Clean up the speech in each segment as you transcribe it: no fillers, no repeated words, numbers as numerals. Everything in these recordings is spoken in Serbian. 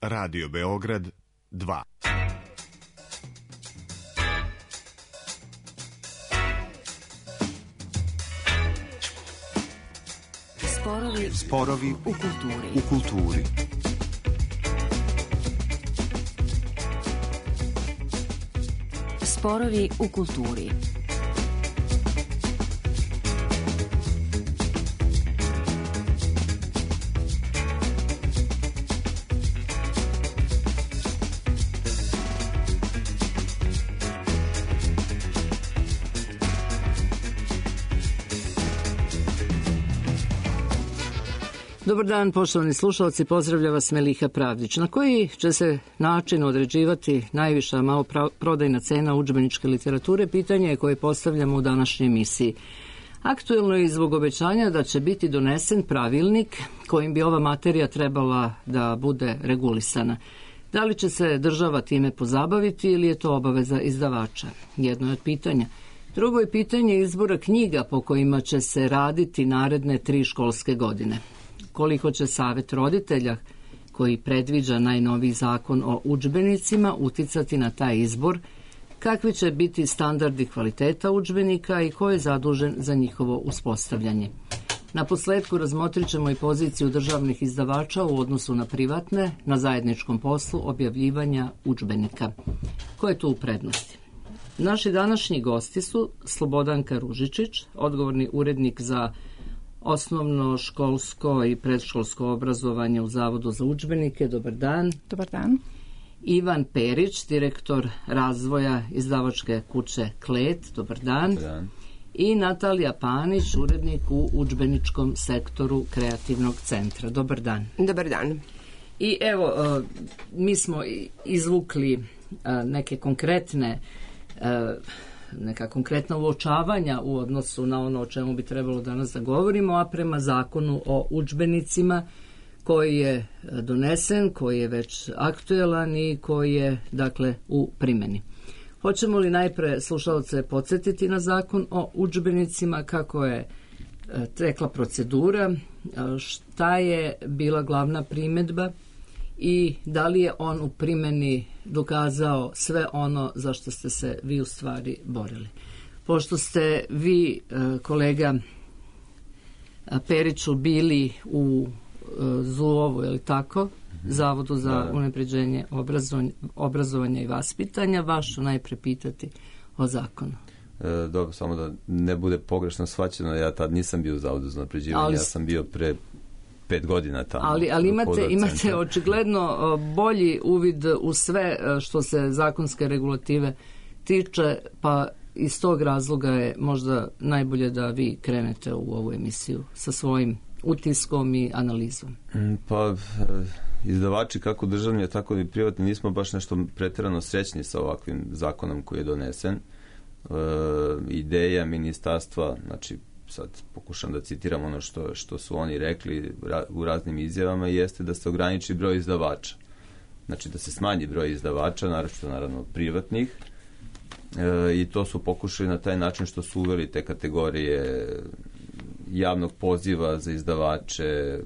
Radio Beograd 2. Sporovi u kulturi. Sporovi u kulturi. Dobar dan, poštovani slušalci, pozdravlja vas Meliha Pravdić. Na koji će se način određivati najviša maloprodajna cena udžbeničke literature, pitanje je koje postavljamo u današnjoj emisiji. Aktuelno je i zbog obećanja da će biti donesen pravilnik kojim bi ova materija trebala da bude regulisana. Da li će se država time pozabaviti ili je to obaveza izdavača? Jedno je od pitanja. Drugo je pitanje izbora knjiga po kojima će se raditi naredne 3 školske godine. Koliko će Savet roditelja, koji predviđa najnoviji zakon o udžbenicima, uticati na taj izbor, kakvi će biti standardi kvaliteta udžbenika i ko je zadužen za njihovo uspostavljanje. Na posledku razmotrit ćemo i poziciju državnih izdavača u odnosu na privatne, na zajedničkom poslu objavljivanja udžbenika. Ko je tu u prednosti? Naši današnji gosti su Slobodanka Ružičić, odgovorni urednik za osnovno školsko i predškolsko obrazovanje u Zavodu za udžbenike. Dobar dan. Dobar dan. Ivan Perić, direktor razvoja izdavačke kuće Klet. Dobar dan. Dobar dan. I Natalija Panić, urednik u udžbeničkom sektoru Kreativnog centra. Dobar dan. Dobar dan. I evo, mi smo izvukli neke neka konkretna uočavanja u odnosu na ono o čemu bi trebalo danas da govorimo, a prema zakonu o udžbenicima koji je donesen, koji je već aktuelan i koji je, dakle, u primjeni. Hoćemo li najpre slušalce podsjetiti na zakon o udžbenicima, kako je tekla procedura, šta je bila glavna primjedba i da li je on u primjeni dokazao sve ono za što ste se vi u stvari borili. Pošto ste vi, kolega Periću, bili u ZUOV-u, je li tako? Zavodu za unapređenje obrazovanja i vaspitanja, vas ću najpre pitati o zakonu. Dobro, samo da ne bude pogrešno shvaćeno, ja tad nisam bio u Zavodu za unapređivanje, ja sam bio pre 5 godina tamo. Ali imate očigledno bolji uvid u sve što se zakonske regulative tiče, pa iz tog razloga je možda najbolje da vi krenete u ovu emisiju sa svojim utiskom i analizom. Pa izdavači, kako državni, tako i privatni, nismo baš nešto pretjerano srećni sa ovakvim zakonom koji je donesen. Ideja ministarstva, znači sad pokušam da citiram ono što su oni rekli u raznim izjavama, jeste da se ograniči broj izdavača. Znači da se smanji broj izdavača, naravno privatnih, i to su pokušali na taj način što su uveli te kategorije javnog poziva za izdavače,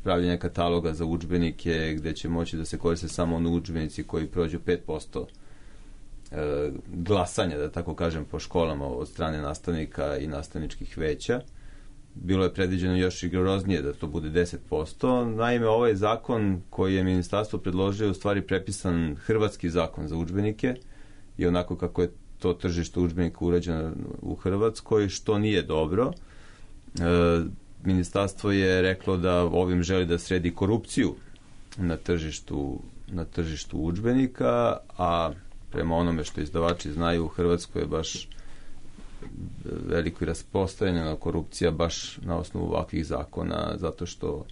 pravljenja kataloga za udžbenike gde će moći da se koriste samo oni udžbenici koji prođu 5% glasanja, da tako kažem, po školama od strane nastavnika i nastavničkih veća. Bilo je predviđeno još rigoroznije da to bude 10%. Naime, ovaj zakon koji je ministarstvo predložio je u stvari prepisan hrvatski zakon za udžbenike i onako kako je to tržište udžbenika urađeno u Hrvatskoj, što nije dobro. Ministarstvo je reklo da ovim želi da sredi korupciju na tržištu udžbenika, a prema onome što izdavači znaju, u Hrvatskoj je baš veliko i rasprostranjena korupcija baš na osnovu ovakvih zakona, zato što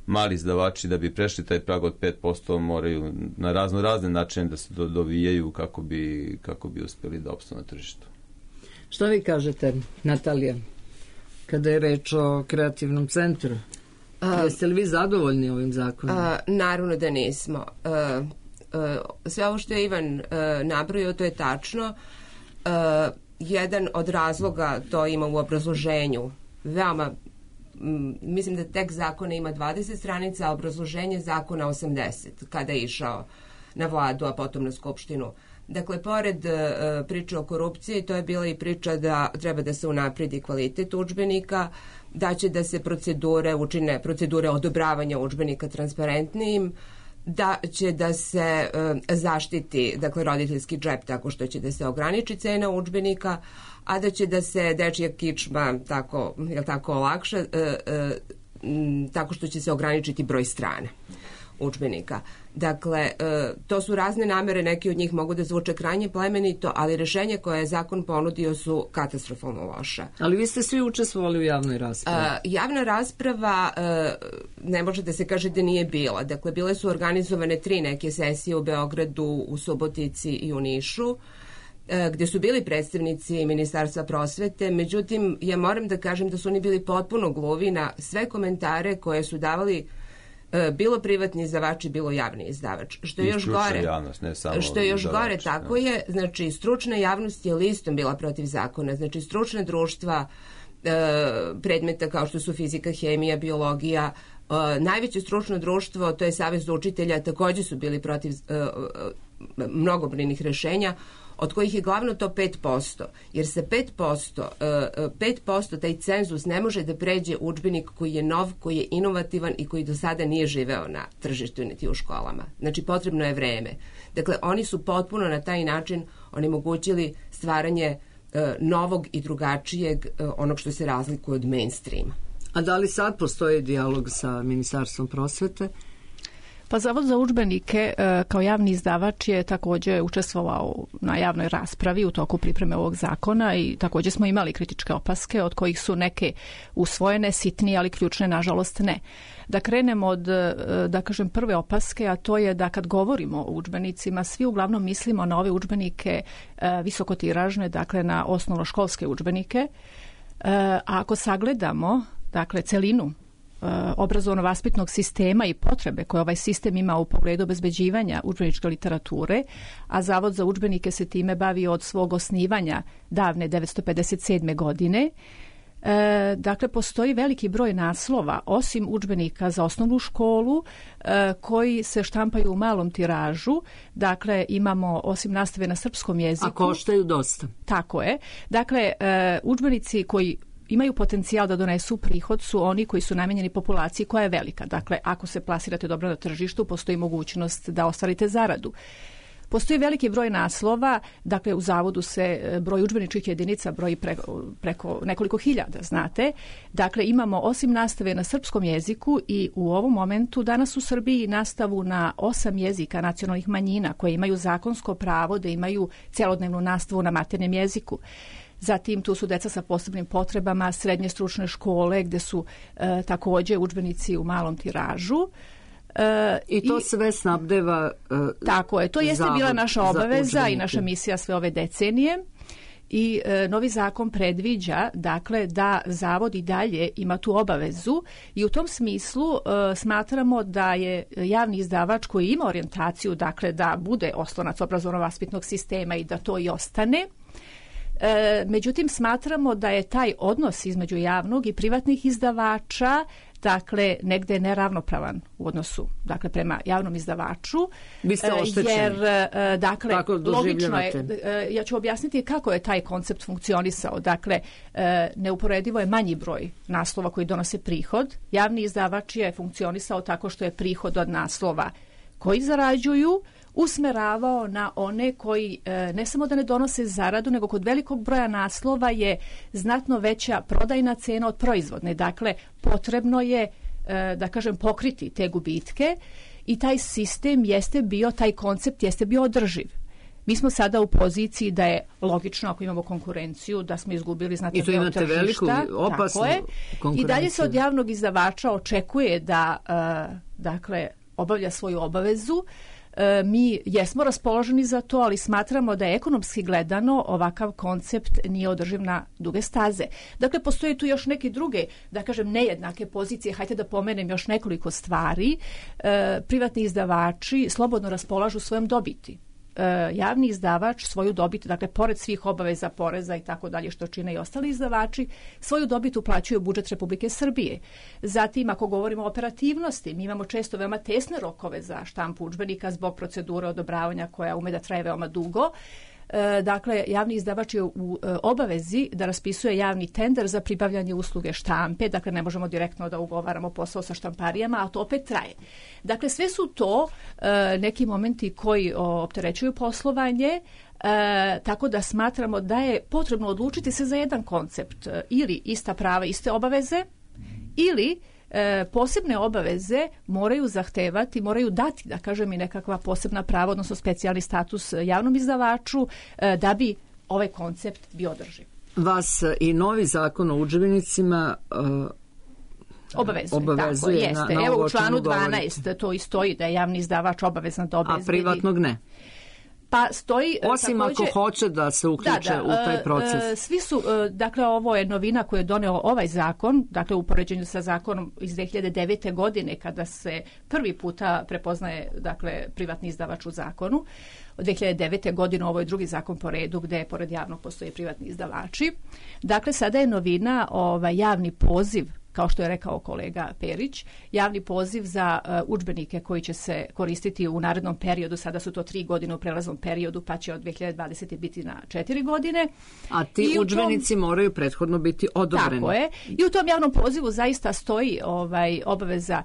mali izdavači da bi prešli taj prag od 5% moraju na razne načine da se dovijaju kako bi uspjeli da opstanu na tržištu. Šta vi kažete, Natalija, kada je reč o kreativnom centru? Jeste li vi zadovoljni ovim zakonom? Naravno da nismo. Sve ovo što je Ivan nabrojio, to je tačno. Jedan od razloga, to ima u obrazloženju, veoma mislim da tekst zakona ima 20 stranica, a obrazloženje zakona 80, kada je išao na vladu, a potom na skupštinu. Dakle, pored priče o korupciji, to je bila i priča da treba da se unapredi kvalitet udžbenika, da će da se učine procedure odobravanja udžbenika transparentnijim, da će da se zaštiti, dakle, roditeljski džep tako što će da se ograniči cena udžbenika, a da će da se dečija kičma tako olakša, tako što će se ograničiti broj strana udžbenika. Dakle, to su razne namere, neki od njih mogu da zvuče krajnje plemenito, ali rešenje koje je zakon ponudio su katastrofalno loša. Ali vi ste svi učestvovali u javnoj raspravi. Javna rasprava ne može da se kaže da nije bila. Dakle, bile su organizovane 3 neke sesije u Beogradu, u Subotici i u Nišu, gde su bili predstavnici Ministarstva prosvete. Međutim, ja moram da kažem da su oni bili potpuno gluvi na sve komentare koje su davali bilo privatni izdavači, bilo javni izdavač. Što je još gore, javnost, ne samo što je još izdavač, gore, tako je, znači stručna javnost je listom bila protiv zakona, znači stručna društva predmeta kao što su fizika, hemija, biologija, najveće stručno društvo, to je Savez učitelja, takođe su bili protiv mnogobrojnih rešenja, od kojih je glavno to 5%, jer sa 5% taj cenzus ne može da pređe udžbenik koji je nov, koji je inovativan i koji do sada nije živeo na tržištu niti u školama. Znači, potrebno je vreme. Dakle, oni su potpuno na taj način onemogućili stvaranje novog i drugačijeg, onog što se razlikuje od mainstreama. A da li sad postoji dijalog sa Ministarstvom prosvete? Pa Zavod za udžbenike kao javni izdavač je također učestvovao na javnoj raspravi u toku pripreme ovog zakona i također smo imali kritičke opaske od kojih su neke usvojene, sitnije, ali ključne nažalost ne. Da krenemo od, da kažem, prve opaske, a to je da kad govorimo o udžbenicima, svi uglavnom mislimo na ove udžbenike visokotiražne, dakle na osnovnoškolske udžbenike, a ako sagledamo, dakle, celinu obrazovno-vaspitnog sistema i potrebe koje ovaj sistem ima u pogledu obezbeđivanja udžbeničke literature, a Zavod za udžbenike se time bavi od svog osnivanja davne 1957. godine. Dakle, postoji veliki broj naslova, osim udžbenika za osnovnu školu, koji se štampaju u malom tiražu. Dakle, imamo osim nastave na srpskom jeziku. A koštaju dosta. Tako je. Dakle, udžbenici koji imaju potencijal da donesu prihod su oni koji su namenjeni populaciji koja je velika. Dakle, ako se plasirate dobro na tržištu, postoji mogućnost da ostvarite zaradu. Postoji veliki broj naslova, dakle u zavodu se broj udžbeničkih jedinica broji preko nekoliko hiljada, znate. Dakle, imamo osim nastave na srpskom jeziku i u ovom momentu danas u Srbiji nastavu na 8 jezika nacionalnih manjina koje imaju zakonsko pravo da imaju celodnevnu nastavu na maternjem jeziku. Zatim tu su deca sa posebnim potrebama, srednje stručne škole gde su također udžbenici u malom tiražu. I to sve snabdeva tako je, to jeste bila naša obaveza i naša misija sve ove decenije. I novi zakon predviđa, dakle, da zavod i dalje ima tu obavezu i u tom smislu smatramo da je javni izdavač koji ima orijentaciju, dakle, da bude oslonac obrazovno-vaspitnog sistema i da to i ostane. Međutim, smatramo da je taj odnos između javnog i privatnih izdavača, dakle, negde neravnopravan u odnosu, dakle, prema javnom izdavaču. Vi ste oštećeni. Jer, dakle, logično je, ja ću objasniti kako je taj koncept funkcionisao. Dakle, neuporedivo je manji broj naslova koji donose prihod. Javni izdavač je funkcionisao tako što je prihod od naslova koji zarađuju usmeravao na one koji ne samo da ne donose zaradu, nego kod velikog broja naslova je znatno veća prodajna cena od proizvodne. Dakle, potrebno je, da kažem, pokriti te gubitke i taj sistem jeste bio, taj koncept jeste bio održiv. Mi smo sada u poziciji da je logično, ako imamo konkurenciju, da smo izgubili znatno deo tržišta. I tu imate veliku, opasnu konkurenciju. I dalje se od javnog izdavača očekuje da, dakle, obavlja svoju obavezu. Mi jesmo raspoloženi za to, ali smatramo da je ekonomski gledano ovakav koncept nije održiv na duge staze. Dakle, postoje tu još neke druge, da kažem, nejednake pozicije. Hajde da pomenem još nekoliko stvari. Privatni izdavači slobodno raspolažu svojom dobiti. javni izdavač svoju dobit, dakle pored svih obaveza poreza i tako dalje što čine i ostali izdavači, svoju dobit uplaćuju u budžet Republike Srbije. Zatim, ako govorimo o operativnosti, mi imamo često veoma tesne rokove za štampu udžbenika zbog procedure odobravanja koja ume da traje veoma dugo. Dakle, javni izdavač je u obavezi da raspisuje javni tender za pribavljanje usluge štampe, dakle ne možemo direktno da ugovaramo posao sa štamparijama, a to opet traje. Dakle, sve su to neki momenti koji opterećuju poslovanje, tako da smatramo da je potrebno odlučiti se za jedan koncept, ili ista prava, iste obaveze, ili posebne obaveze moraju zahtevati, moraju dati, da kažem, i nekakva posebna prava, odnosno specijalni status javnom izdavaču da bi ovaj koncept bio održiv. Vas i novi zakon o udžbenicima obavezuje tako, na evo u članu 12 to i stoji da je javni izdavač obavezan da obezbedi. A privatnog ne? Pa stoji, osim takođe, ako hoće da se uključe u taj proces. Svi su, dakle, ovo je novina koju je doneo ovaj zakon, dakle u poređenju sa zakonom iz 2009. godine kada se prvi puta prepoznaje, dakle, privatni izdavač u zakonu. Od 2009. godine ovo je drugi zakon po redu gde pored javnog postoje privatni izdavači. Dakle, sada je novina javni poziv, kao što je rekao kolega Perić, javni poziv za udžbenike koji će se koristiti u narednom periodu. Sada su to 3 godine u prelaznom periodu, pa će od 2020. biti na 4 godine. A ti udžbenici moraju prethodno biti odobreni. Tako je. I u tom javnom pozivu zaista stoji obaveza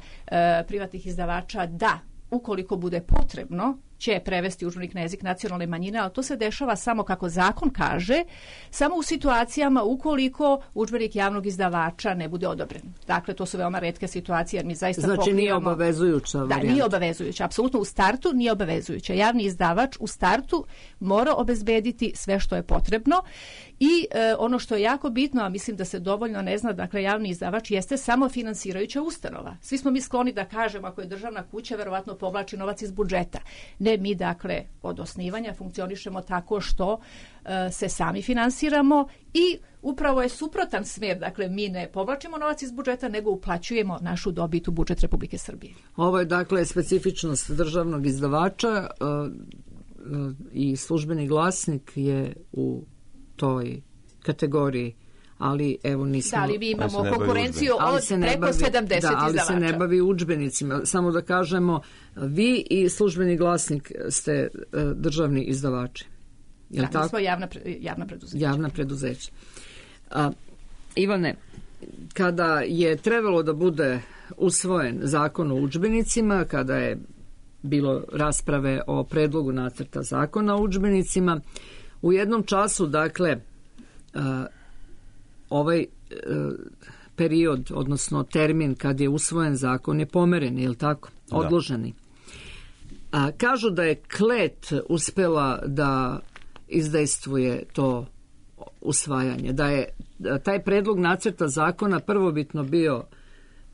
privatnih izdavača da, ukoliko bude potrebno, će prevesti udžbenik na jezik nacionalne manjine, ali to se dešava samo, kako zakon kaže, samo u situacijama ukoliko udžbenik javnog izdavača ne bude odobren. Dakle, to su veoma retke situacije, jer mi zaista znači nije obavezujuća varijanta. Da, nije obavezujuća. Apsolutno u startu nije obavezujuća. Javni izdavač u startu mora obezbediti sve što je potrebno i ono što je jako bitno, a mislim da se dovoljno ne zna, dakle, javni izdavač jeste samo finansirajuća ustanova. Svi smo mi skloni da kažemo, ako je državna kuća, verovatno povlači novac iz budžeta. Ne, mi dakle od osnivanja funkcionišemo tako što se sami finansiramo i upravo je suprotan smer, dakle mi ne povlačimo novac iz budžeta, nego uplaćujemo našu dobit u budžet Republike Srbije. Ovo je dakle specifičnost državnog izdavača i Službeni glasnik je u toj kategoriji, ali evo nismo... Da, ali mi imamo konkurenciju od preko 70 izdavača. Ali se ne bavi udžbenicima. Samo da kažemo, vi i Službeni glasnik ste državni izdavači. Da, mi smo javna preduzeća. Javna preduzeća. Ivane, kada je trebalo da bude usvojen zakon o udžbenicima, kada je bilo rasprave o predlogu nacrta zakona o udžbenicima, u jednom času, dakle, ovaj period, odnosno termin kad je usvojen zakon je pomeren, je li tako? Odloženi. Kažu da je Klet uspela da izdejstvuje to usvajanje, da je taj predlog nacrta zakona prvobitno bio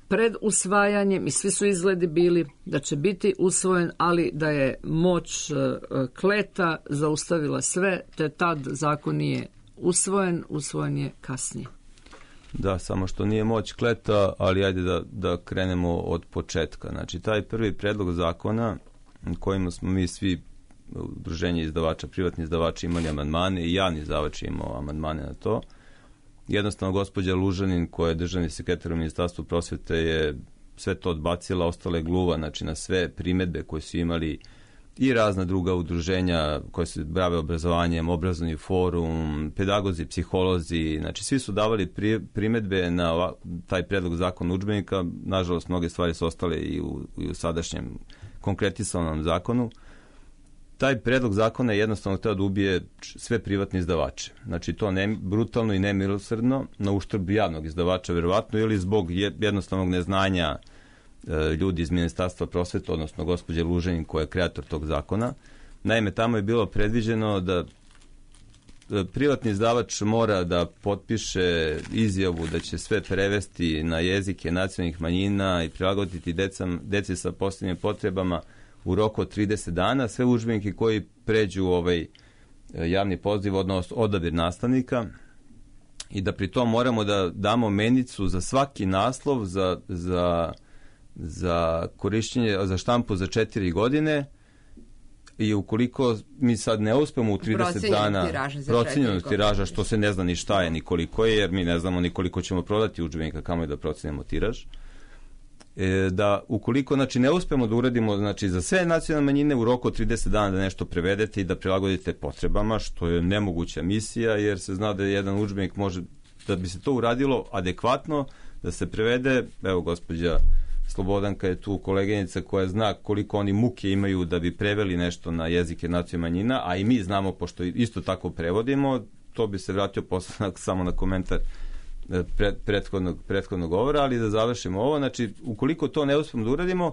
pred usvajanjem i svi su izgledi bili da će biti usvojen, ali da je moć Kleta zaustavila sve, te tad zakon nije usvojen je kasnije. Da, samo što nije moć Kleta, ali ajde da krenemo od početka. Znači, taj prvi predlog zakona kojima smo mi svi udruženje izdavača, privatni izdavači imali amandmane i javni izdavač imao amandmane na to. Jednostavno, gospođa Lužanin, koja je državni sekretar u Ministarstvu prosvete, je sve to odbacila, ostala je gluva, znači, na sve primedbe koje su imali i razna druga udruženja koje se bave obrazovanjem, obrazovni forum, pedagozi, psiholozi, znači svi su davali primedbe na taj predlog zakona udžbenika. Nažalost, mnoge stvari su ostale i u sadašnjem konkretisanom zakonu. Taj predlog zakona je jednostavno hteo da ubije sve privatne izdavače. Znači, to brutalno i nemilosrdno, na uštrb javnog izdavača, verovatno, ili zbog jednostavnog neznanja ljudi iz Ministarstva prosvete, odnosno gospođe Luženin, koja je kreator tog zakona. Naime, tamo je bilo predviđeno da privatni izdavač mora da potpiše izjavu da će sve prevesti na jezike nacionalnih manjina i prilagoditi deci sa posebnim potrebama u roku od 30 dana, sve udžbenike koji pređu ovaj javni poziv, odnosno odabir nastavnika, i da pri tom moramo da damo menicu za svaki naslov za korišćenje, za štampu za 4 godine, i ukoliko mi sad ne uspemo u 30 dana procenjenog tiraža, što se ne zna ni šta je, ni koliko je, jer mi ne znamo ni koliko ćemo prodati udžbenika, kamo je da procenjemo tiraž, da ukoliko ne uspemo da uradimo za sve nacionalne manjine u roku od 30 dana da nešto prevedete i da prilagodite potrebama, što je nemoguća misija, jer se zna da jedan udžbenik može, da bi se to uradilo adekvatno, da se prevede, evo gospođa Slobodanka je tu koleginica koja zna koliko oni muke imaju da bi preveli nešto na jezike nacionalnih manjina, a i mi znamo, pošto isto tako prevodimo, to bi se vratio posle samo na komentar prethodnog govora, ali da završimo ovo, ukoliko to ne uspemo da uradimo,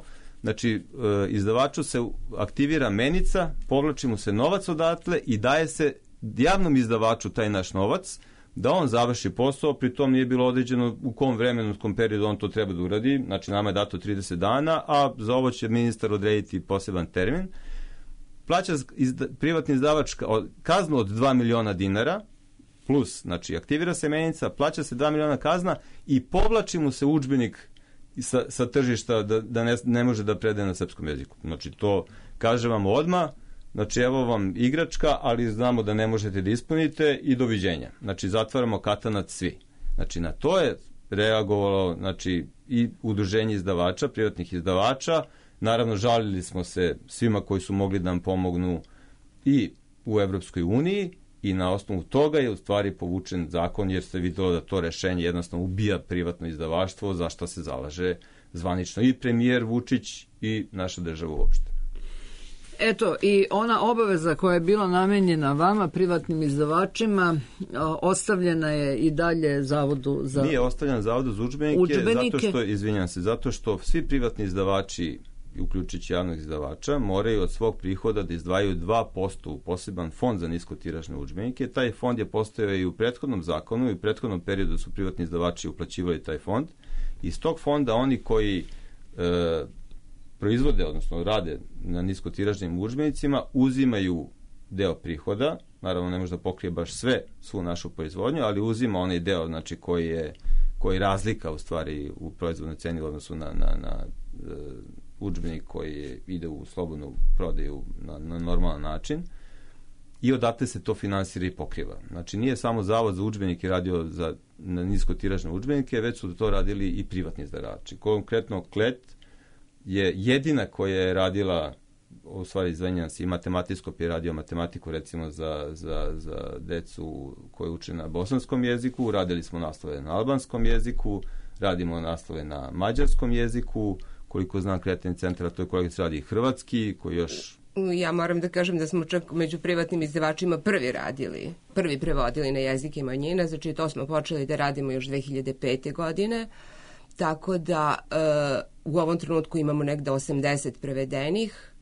izdavaču se aktivira menica, povlači mu se novac odatle i daje se javnom izdavaču taj naš novac, da on završi posao, pritom nije bilo određeno u kom vremenskom periodu on to treba da uradi, nama je dato 30 dana, a za ovo će ministar odrediti poseban termin. Plaća privatni izdavač kaznu od 2 miliona dinara, plus, aktivira se menica, plaća se 2 miliona kazna i povlači mu se udžbenik sa tržišta da ne može da predaje na srpskom jeziku. To kaže vam odmah, evo vam igračka, ali znamo da ne možete da ispunite i doviđenja. Zatvaramo katanac svi. Na to je reagovalo i udruženje izdavača, privatnih izdavača. Naravno, žalili smo se svima koji su mogli da nam pomognu i u Evropskoj uniji i na osnovu toga je u stvari povučen zakon, jer se videlo da to rešenje jednostavno ubija privatno izdavaštvo, za što se zalaže zvanično i premijer Vučić i naša država uopšte. Eto, i ona obaveza koja je bila namenjena vama, privatnim izdavačima, ostavljena je i dalje Zavodu za... Nije ostavljena Zavodu za udžbenike, zato što svi privatni izdavači, uključujući javnog izdavača, moraju od svog prihoda da izdvajaju 2% u poseban fond za niskotiražne udžbenike. Taj fond je postojao i u prethodnom zakonu i u prethodnom periodu su privatni izdavači uplaćivali taj fond. Iz tog fonda oni koji proizvode, odnosno rade na niskotiražnim udžbenicima, uzimaju deo prihoda, naravno ne može da pokrije baš svu našu proizvodnju, ali uzima onaj deo koji razlika u stvari u proizvodnoj ceni u odnosu na udžbenik koji ide u slobodnu prodaju na normalan način i odatle se to finansira i pokriva. Nije samo Zavod za udžbenike radio na niskotiražne udžbenike, već su to radili i privatni izdavači. Konkretno Klet je jedina koja je radila, u stvari izvinjavam se, i matematijskop je radio matematiku recimo za decu koji uče na bosanskom jeziku, radili smo naslove na albanskom jeziku, radimo naslove na mađarskom jeziku, koliko znam Kreativni centar, to je kolegica radi i hrvatski, koji još... Ja moram da kažem da smo čak među privatnim izdavačima prvi prevodili na jezike manjina, to smo počeli da radimo još 2005. godine, tako da u ovom trenutku imamo negde 80 prevedenih,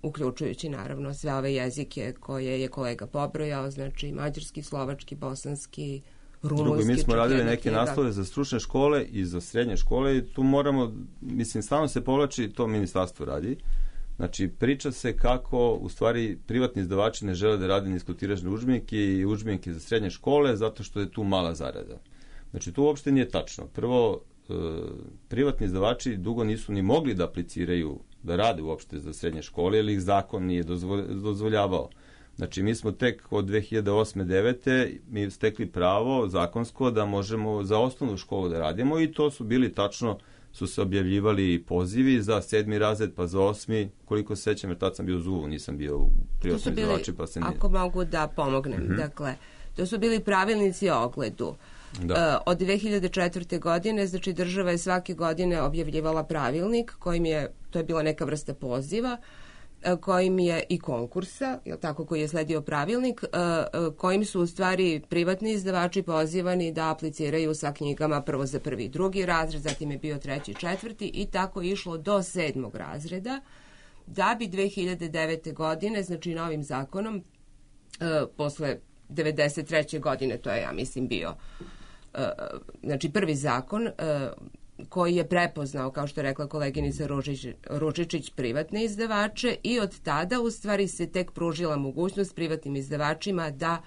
uključujući naravno sve ove jezike koje je kolega pobrojao, mađarski, slovački, bosanski, rumunski. Mi smo radili neke naslove za stručne škole i za srednje škole i tu moramo, stalno se povlači, to ministarstvo radi. Priča se kako u stvari privatni izdavači ne žele da rade niskotiražne udžbenike i udžbenike za srednje škole zato što je tu mala zarada. To uopšte nije tačno. Prvo, privatni izdavači dugo nisu ni mogli da apliciraju da rade uopšte za srednje škole, jer ih zakon nije dozvoljavao. Mi smo tek od 2008-2009. mi stekli pravo zakonsko da možemo za osnovnu školu da radimo i to su bili tačno, su se objavljivali pozivi za 7. razred pa za 8. koliko se sećam, jer tad sam bio u ZUV-u, nisam bio u privatnom izdavači. Ako mogu da pomognem, dakle, to su bili pravilnici o ogledu. Od 2004. godine, država je svake godine objavljivala pravilnik kojim je, to je bila neka vrsta poziva, kojim je i konkursa, koji je sledio pravilnik, kojim su u stvari privatni izdavači pozivani da apliciraju sa knjigama prvo za 1. i 2. razred, zatim je bio 3. i 4. i tako išlo do 7. razreda, da bi 2009. godine, novim zakonom, posle 93. godine, to je, ja mislim, bio prvi zakon koji je prepoznao, kao što je rekla koleginica Ružičić, privatne izdavače i od tada u stvari se tek pružila mogućnost privatnim izdavačima da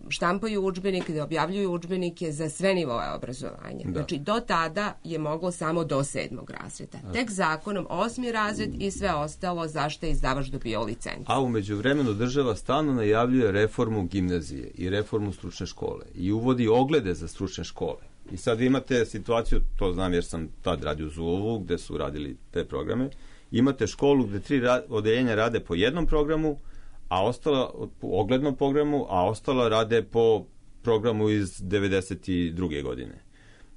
štampaju udžbenike, da objavljuju udžbenike za sve nivoe obrazovanja. Da. Znači, do tada je moglo samo do 7. razreda. Tek zakonom 8. razred i sve ostalo zašto je izdavač dobio licencu. A u međuvremenu država stalno najavljuje reformu gimnazije i reformu stručne škole i uvodi oglede za stručne škole. I sad vi imate situaciju, to znam jer sam tad radio u Zulovu, gde su radili te programe, imate školu gde 3 odeljenja rade po jednom programu, a ostala po oglednom programu, a ostala rade po programu iz 92. godine.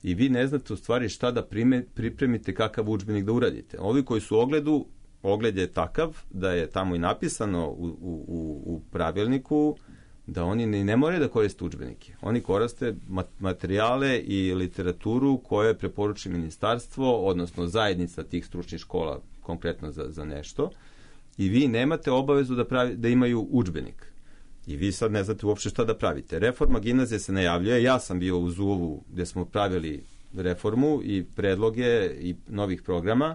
I vi ne znate u stvari šta da pripremite, kakav udžbenik da uradite. Ovi koji su u ogledu, ogled je takav da je tamo i napisano u pravilniku da oni ne moraju da koriste udžbenike. Oni koriste materijale i literaturu koje preporuči ministarstvo, odnosno zajednica tih stručnih škola, konkretno za nešto. I vi nemate obavezu da imaju udžbenik. I vi sad ne znate uopšte šta da pravite. Reforma gimnazije se najavljuje. Ja sam bio u Zuovu gde smo pravili reformu i predloge i novih programa,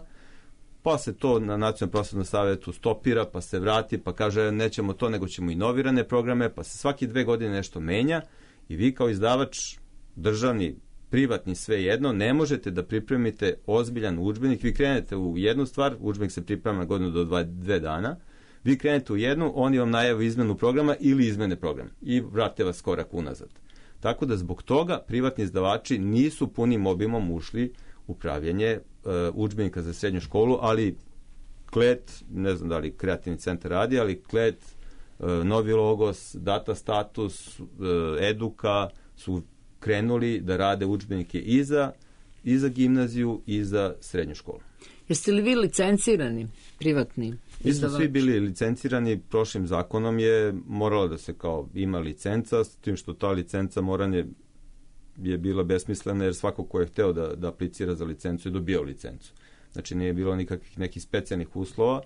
pa se to na Nacionalnom prosvetnom savetu stopira, pa se vrati, pa kaže nećemo to, nego ćemo inovirane programe, pa se svaki 2 godine nešto menja i vi kao izdavač, državni, privatni, sve jedno, ne možete da pripremite ozbiljan udžbenik. Vi krenete u jednu stvar, udžbenik se priprema na godinu do 2 dana, vi krenete u jednu, oni vam najavu izmenu programa ili izmene programa i vrate vas korak unazad. Tako da zbog toga privatni izdavači nisu punim obimom ušli u pravljenje udžbenika za srednju školu, ali Klet, ne znam da li Kreativni centar radi, ali Klet, Novi Logos, Data Status, Eduka su krenuli da rade udžbenike i za gimnaziju i za srednju školu. Jeste li vi licencirani, privatni? Mi smo svi bili licencirani, prošlim zakonom je moralo da se kao ima licenca, s tim što ta licenca moranje je bila besmislena jer svako ko je hteo da aplicira za licencu je dobio licencu. Znači nije bilo nikakvih nekih specijalnih uslova.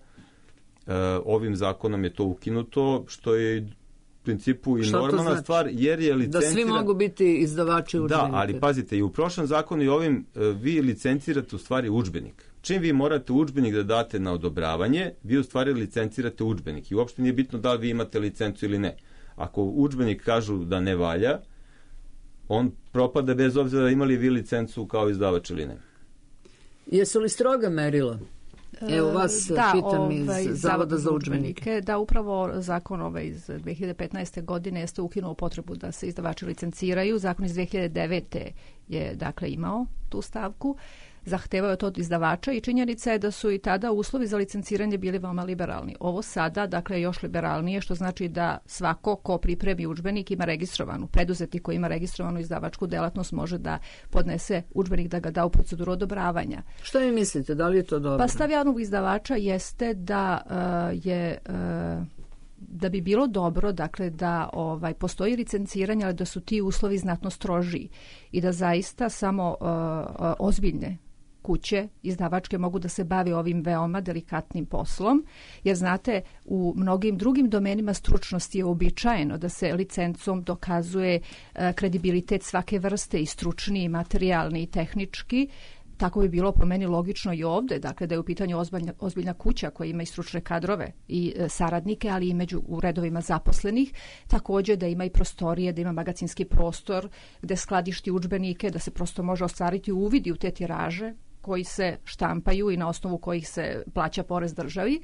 Ovim zakonom je to ukinuto, što je u principu i normalna znači? Stvar, jer je licencira... Da svi mogu biti izdavači udžbenika. Da, ali pazite, i u prošlom zakonu i ovim vi licencirate u stvari udžbenik. Čim vi morate udžbenik da date na odobravanje, vi u stvari licencirate udžbenik. I uopšte nije bitno da li vi imate licencu ili ne. Ako udžbenik kažu da ne valja, on propada bez obzira da imali vi licencu kao izdavač ili ne. Jesu li stroga merila? Evo vas pitam iz Zavoda za udžbenike. Da, upravo zakon iz 2015. godine jeste ukinuo potrebu da se izdavači licenciraju. Zakon iz 2009. je dakle imao tu stavku. Zahtevao je to od izdavača i činjenica je da su i tada uslovi za licenciranje bili veoma liberalni. Ovo sada, dakle, još liberalnije, što znači da svako ko pripremi udžbenik ima registrovanu, preduzetnik koji ima registrovanu izdavačku delatnost može da podnese udžbenik, da ga da u proceduru odobravanja. Što vi mislite, da li je to dobro? Pa stav javnog izdavača jeste da da bi bilo dobro, dakle, da postoji licenciranje, ali da su ti uslovi znatno strožiji i da zaista samo ozbiljne kuće izdavačke mogu da se bave ovim veoma delikatnim poslom, jer znate, u mnogim drugim domenima stručnosti je uobičajeno da se licencom dokazuje kredibilitet svake vrste, i stručni, i materijalni, i tehnički. Tako bi bilo po meni logično i ovde, dakle da je u pitanju ozbiljna kuća koja ima i stručne kadrove i saradnike, ali i u redovima zaposlenih, također da ima i prostorije, da ima magacinski prostor gde skladišti udžbenike, da se prosto može ostvariti uvidi u te tiraže koji se štampaju i na osnovu kojih se plaća porez državi.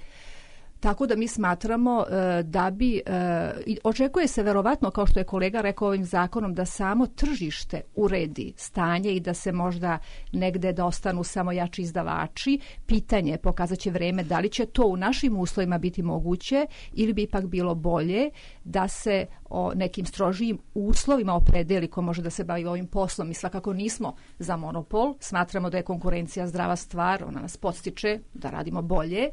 Tako da mi smatramo da bi, očekuje se verovatno, kao što je kolega rekao ovim zakonom, da samo tržište uredi stanje i da se možda negde da ostanu samo jači izdavači. Pitanje, pokazat će vreme, da li će to u našim uslovima biti moguće ili bi ipak bilo bolje da se o nekim strožijim uslovima opredeli ko može da se bavi ovim poslom. Mi svakako nismo za monopol, smatramo da je konkurencija zdrava stvar, ona nas podstiče da radimo bolje.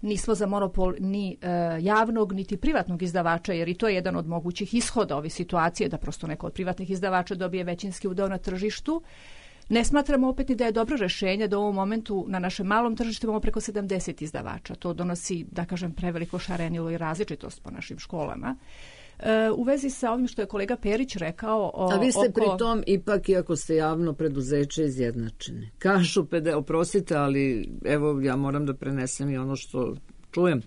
Nismo za monopol ni javnog, niti privatnog izdavača, jer i to je jedan od mogućih ishoda ove situacije, da prosto neko od privatnih izdavača dobije većinski udeo na tržištu. Ne smatramo opet ni da je dobro rešenje da u ovom momentu na našem malom tržištu imamo preko 70 izdavača. To donosi, da kažem, preveliko šarenilo i različitost po našim školama. U vezi sa ovim što je kolega Perić rekao... A vi ste pri tom ipak, iako ste javno preduzeće, izjednačeni. Kažu, oprostite, ali evo ja moram da prenesem i ono što čujem.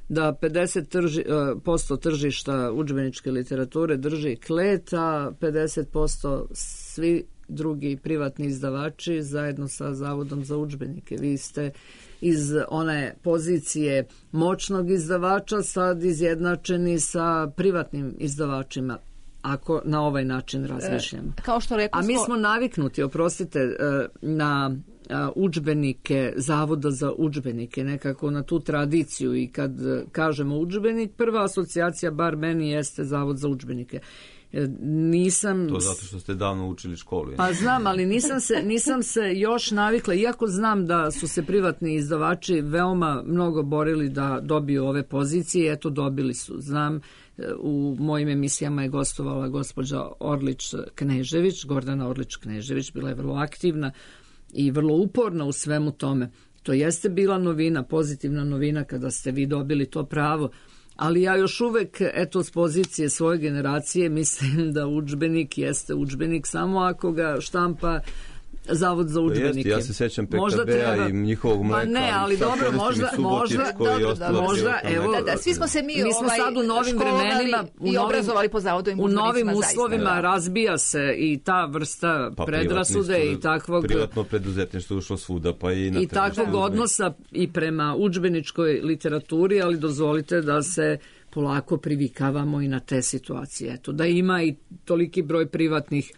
da 50% tržišta udžbeničke literature drži Klet, a 50% svi drugi privatni izdavači zajedno sa Zavodom za udžbenike. Vi ste iz one pozicije moćnog izdavača sad izjednačeni sa privatnim izdavačima, ako na ovaj način razmišljamo. Kao što rekao, a mi smo naviknuti, oprostite, na udžbenike Zavoda za udžbenike, nekako na tu tradiciju, i kad kažemo udžbenik, prva asocijacija, bar meni, jeste Zavod za udžbenike. Nisam... To zato što ste davno učili školu. Pa znam, ali nisam se još navikla, iako znam da su se privatni izdavači veoma mnogo borili da dobiju ove pozicije, eto dobili su. Znam, u mojim emisijama je gostovala gospođa Orlić-Knežević, Gordana Orlić-Knežević, bila je vrlo aktivna i vrlo uporna u svemu tome. To jeste bila novina, pozitivna novina kada ste vi dobili to pravo, ali ja još uvek, eto, s pozicije svoje generacije mislim da udžbenik jeste udžbenik samo ako ga štampa Zavod za udžbenike. Ja se sećam PKB-a i njihovog mleka. Pa ne, ali dobro, možda, evo, svi smo se mi smo sad u novim vremenima i obrazovali po zavodovim udžbenicima. U novim uslovima razbija se i ta vrsta predrasude i takvog... Privatno preduzetništvo ušlo svuda, pa i na... I takvog odnosa i prema udžbeničkoj literaturi, ali dozvolite da se polako privikavamo i na te situacije. Eto, da ima i toliki broj privatnih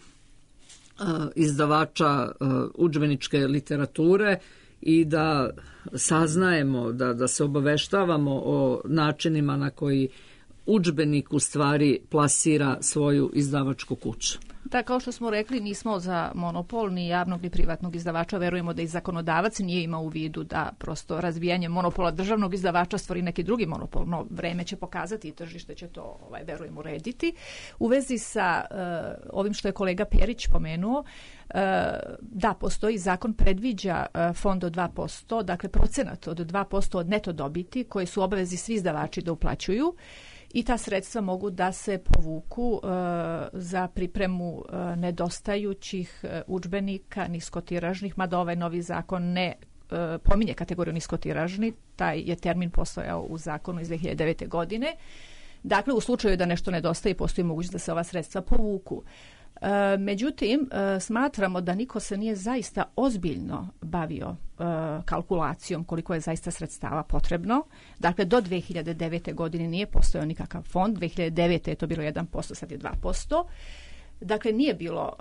izdavača udžbeničke literature i da saznajemo, da se obaveštavamo o načinima na koji udžbenik u stvari plasira svoju izdavačku kuću. Da, kao što smo rekli, nismo za monopol ni javnog ni privatnog izdavača. Verujemo da i zakonodavac nije imao u vidu da prosto razbijanje monopola državnog izdavača stvori neki drugi monopol. No, vreme će pokazati i tržište će to, verujemo, urediti. U vezi sa ovim što je kolega Perić pomenuo, da, postoji zakon, predviđa fond od 2%, dakle procenat od 2% od neto dobiti koje su obavezi svi izdavači da uplaćuju. I ta sredstva mogu da se povuku za pripremu nedostajućih udžbenika niskotiražnih, mada ovaj novi zakon ne pominje kategoriju niskotiražni, taj je termin postojao u zakonu iz 2009. godine. Dakle, u slučaju da nešto nedostaje, postoji mogućnost da se ova sredstva povuku. Međutim, smatramo da niko se nije zaista ozbiljno bavio kalkulacijom koliko je zaista sredstava potrebno. Dakle, do 2009. godine nije postojao nikakav fond, 2009. je to bilo 1%, sad je 2%. Dakle, nije bilo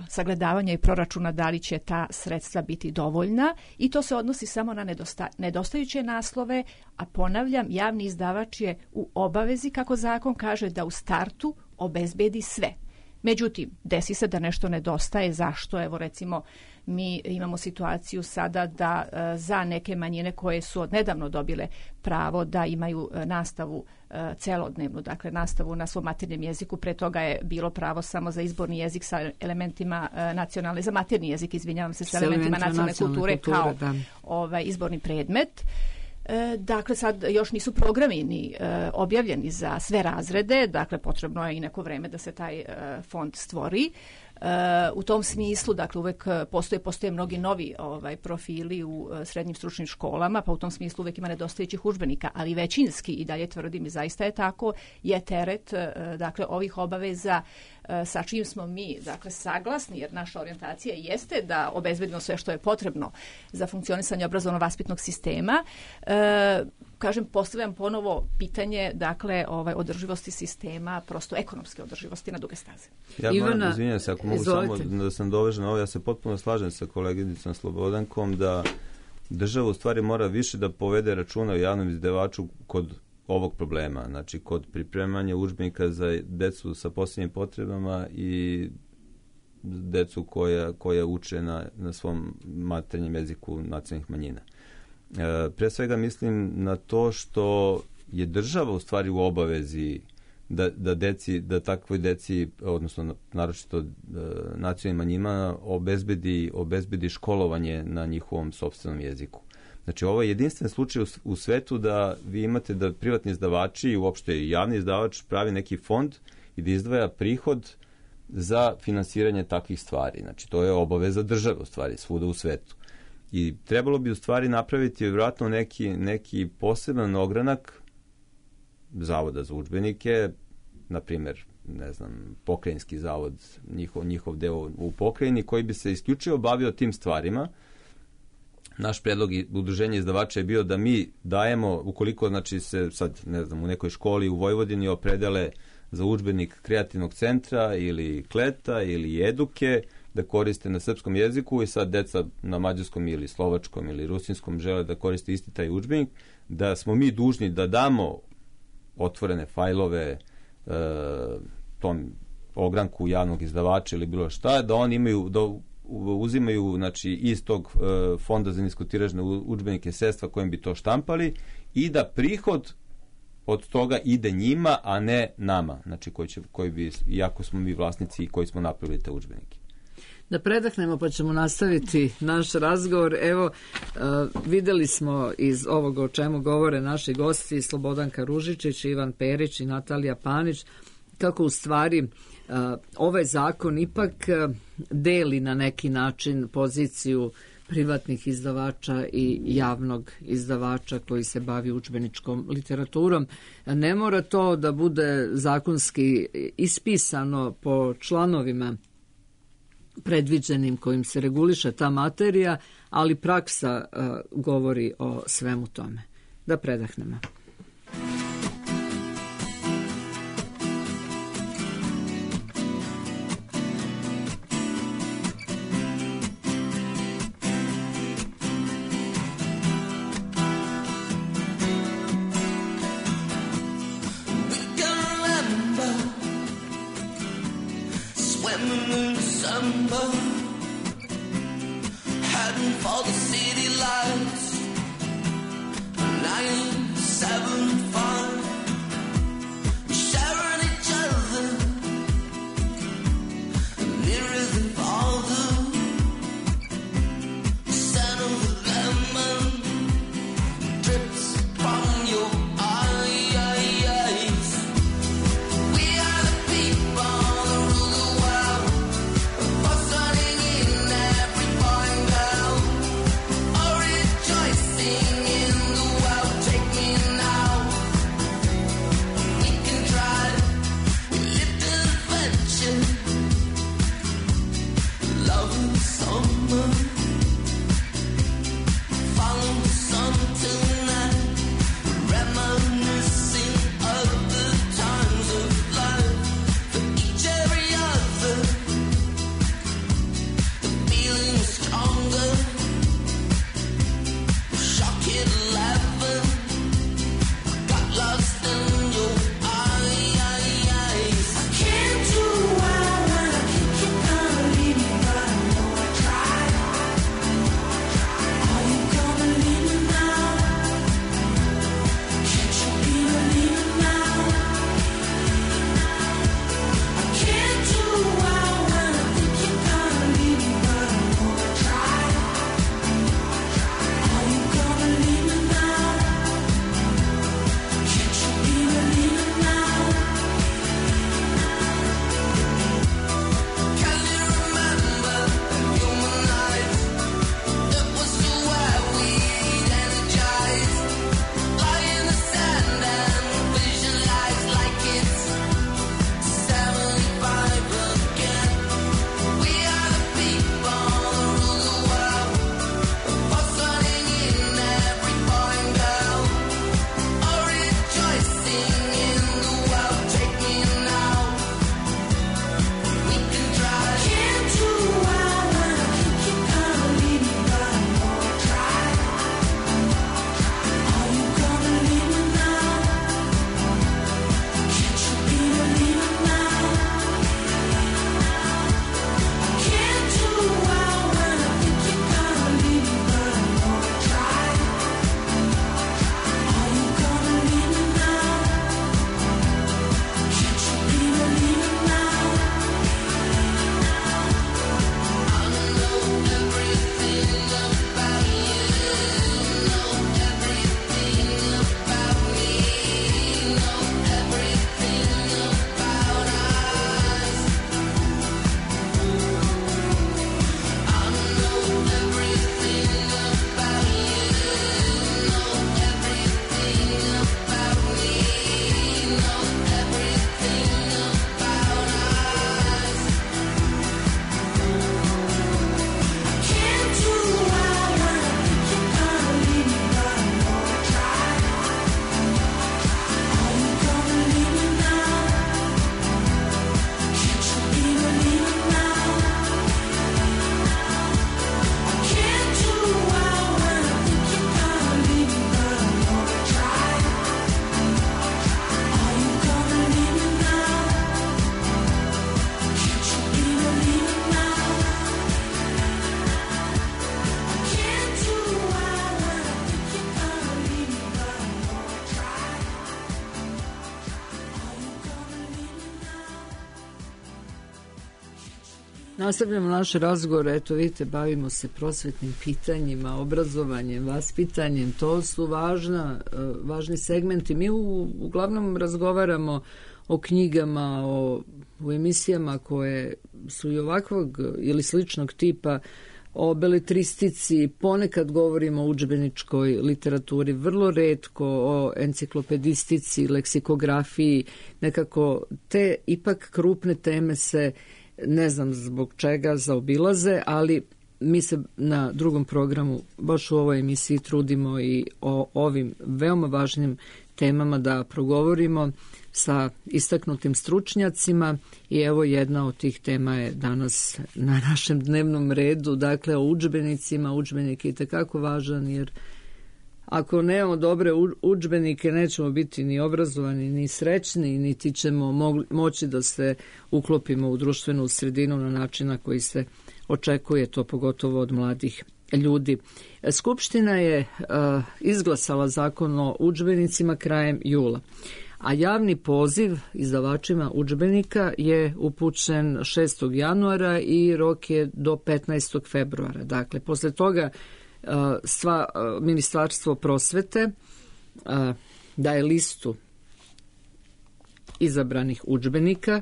sagledavanja i proračuna da li će ta sredstva biti dovoljna i to se odnosi samo na nedostajuće naslove, a ponavljam, javni izdavač je u obavezi, kako zakon kaže, da u startu obezbedi sve. Međutim, desi se da nešto nedostaje. Zašto? Evo, recimo, mi imamo situaciju sada da za neke manjine koje su odnedavno dobile pravo da imaju nastavu celodnevnu, dakle nastavu na svom maternjem jeziku, pre toga je bilo pravo samo za izborni jezik sa elementima nacionalne, za maternji jezik, izvinjavam se, sa elementima nacionalne kulture kao izborni predmet. Dakle, sad još nisu programi ni objavljeni za sve razrede, dakle potrebno je i neko vreme da se taj fond stvori. U tom smislu, dakle, uvek postoje mnogi novi profili u srednjim stručnim školama, pa u tom smislu uvek ima nedostajućih udžbenika, ali većinski, i dalje tvrdim i zaista je tako, je teret, dakle, ovih obaveza sa čim smo mi, dakle, saglasni, jer naša orijentacija jeste da obezbedimo sve što je potrebno za funkcionisanje obrazovno-vaspitnog sistema. Kažem, postavljam ponovo pitanje, dakle, održivosti sistema, prosto ekonomske održivosti na duge staze. Ja moram, izvinjam se, ako mogu samo da sam dovežen ovo, ja se potpuno slažem sa koleginicom Slobodankom da država u stvari mora više da povede računa o javnom izdavaču kod ovog problema, znači kod pripremanja udžbenika za decu sa posebnim potrebama i decu koja uče na svom maternjem jeziku nacionalnih manjina. Pre svega mislim na to što je država u stvari u obavezi da takvoj deci, odnosno naročito nacionalnim manjinama, obezbedi školovanje na njihovom sopstvenom jeziku. Znači, ovo je jedinstven slučaj u svetu da vi imate da privatni izdavači i uopšte javni izdavač pravi neki fond i da izdvaja prihod za finansiranje takvih stvari. Znači, to je obaveza države u stvari svuda u svetu. I trebalo bi u stvari napraviti vjerojatno neki poseban ogranak zavoda za udžbenike, na primjer, ne znam, pokrajinski zavod, njihov deo u pokrajini, koji bi se isključivo bavio tim stvarima. Naš predlog i udruženja izdavača je bio da mi dajemo, ukoliko znači se sad, ne znam, u nekoj školi u Vojvodini opredele za udžbenik kreativnog centra ili kleta ili eduke, da koriste na srpskom jeziku i sad deca na mađarskom ili slovačkom ili rusinskom žele da koriste isti taj udžbenik, da smo mi dužni da damo otvorene fajlove tom ogranku javnog izdavača ili bilo šta, da oni imaju, da uzimaju znači, iz tog fonda za niskotiražne udžbenike sredstva kojim bi to štampali i da prihod od toga ide njima, a ne nama, znači koji bi, iako smo mi vlasnici koji smo napravili te udžbenike. Da predahnemo pa ćemo nastaviti naš razgovor. Evo, videli smo iz ovoga o čemu govore naši gosti, Slobodanka Ružičić, Ivan Perić i Natalija Panić, kako u stvari ovaj zakon ipak deli na neki način poziciju privatnih izdavača i javnog izdavača koji se bavi udžbeničkom literaturom. Ne mora to da bude zakonski ispisano po članovima predviđenim kojim se reguliše ta materija, ali praksa govori o svemu tome. Da predahnemo. Oh Nastavljamo naše razgovore, eto vidite, bavimo se prosvetnim pitanjima, obrazovanjem, vaspitanjem, to su važni segmenti. Mi uglavnom razgovaramo o knjigama, u emisijama koje su i ovakvog ili sličnog tipa, o beletristici, ponekad govorimo o udžbeničkoj literaturi, vrlo retko o enciklopedistici, leksikografiji, nekako te ipak krupne teme se, ne znam zbog čega, zaobilaze, ali mi se na drugom programu, baš u ovoj emisiji, trudimo i o ovim veoma važnim temama da progovorimo sa istaknutim stručnjacima i evo jedna od tih tema je danas na našem dnevnom redu, dakle o udžbenicima. Udžbenik je itekako važan jer ako nemamo dobre udžbenike nećemo biti ni obrazovani, ni srećni, niti ćemo moći da se uklopimo u društvenu sredinu na način na koji se očekuje, to pogotovo od mladih ljudi. Skupština je izglasala zakon o udžbenicima krajem jula, a javni poziv izdavačima udžbenika je upućen 6. januara i rok je do 15. februara. Dakle, posle toga Ministarstvo prosvete daje listu izabranih udžbenika.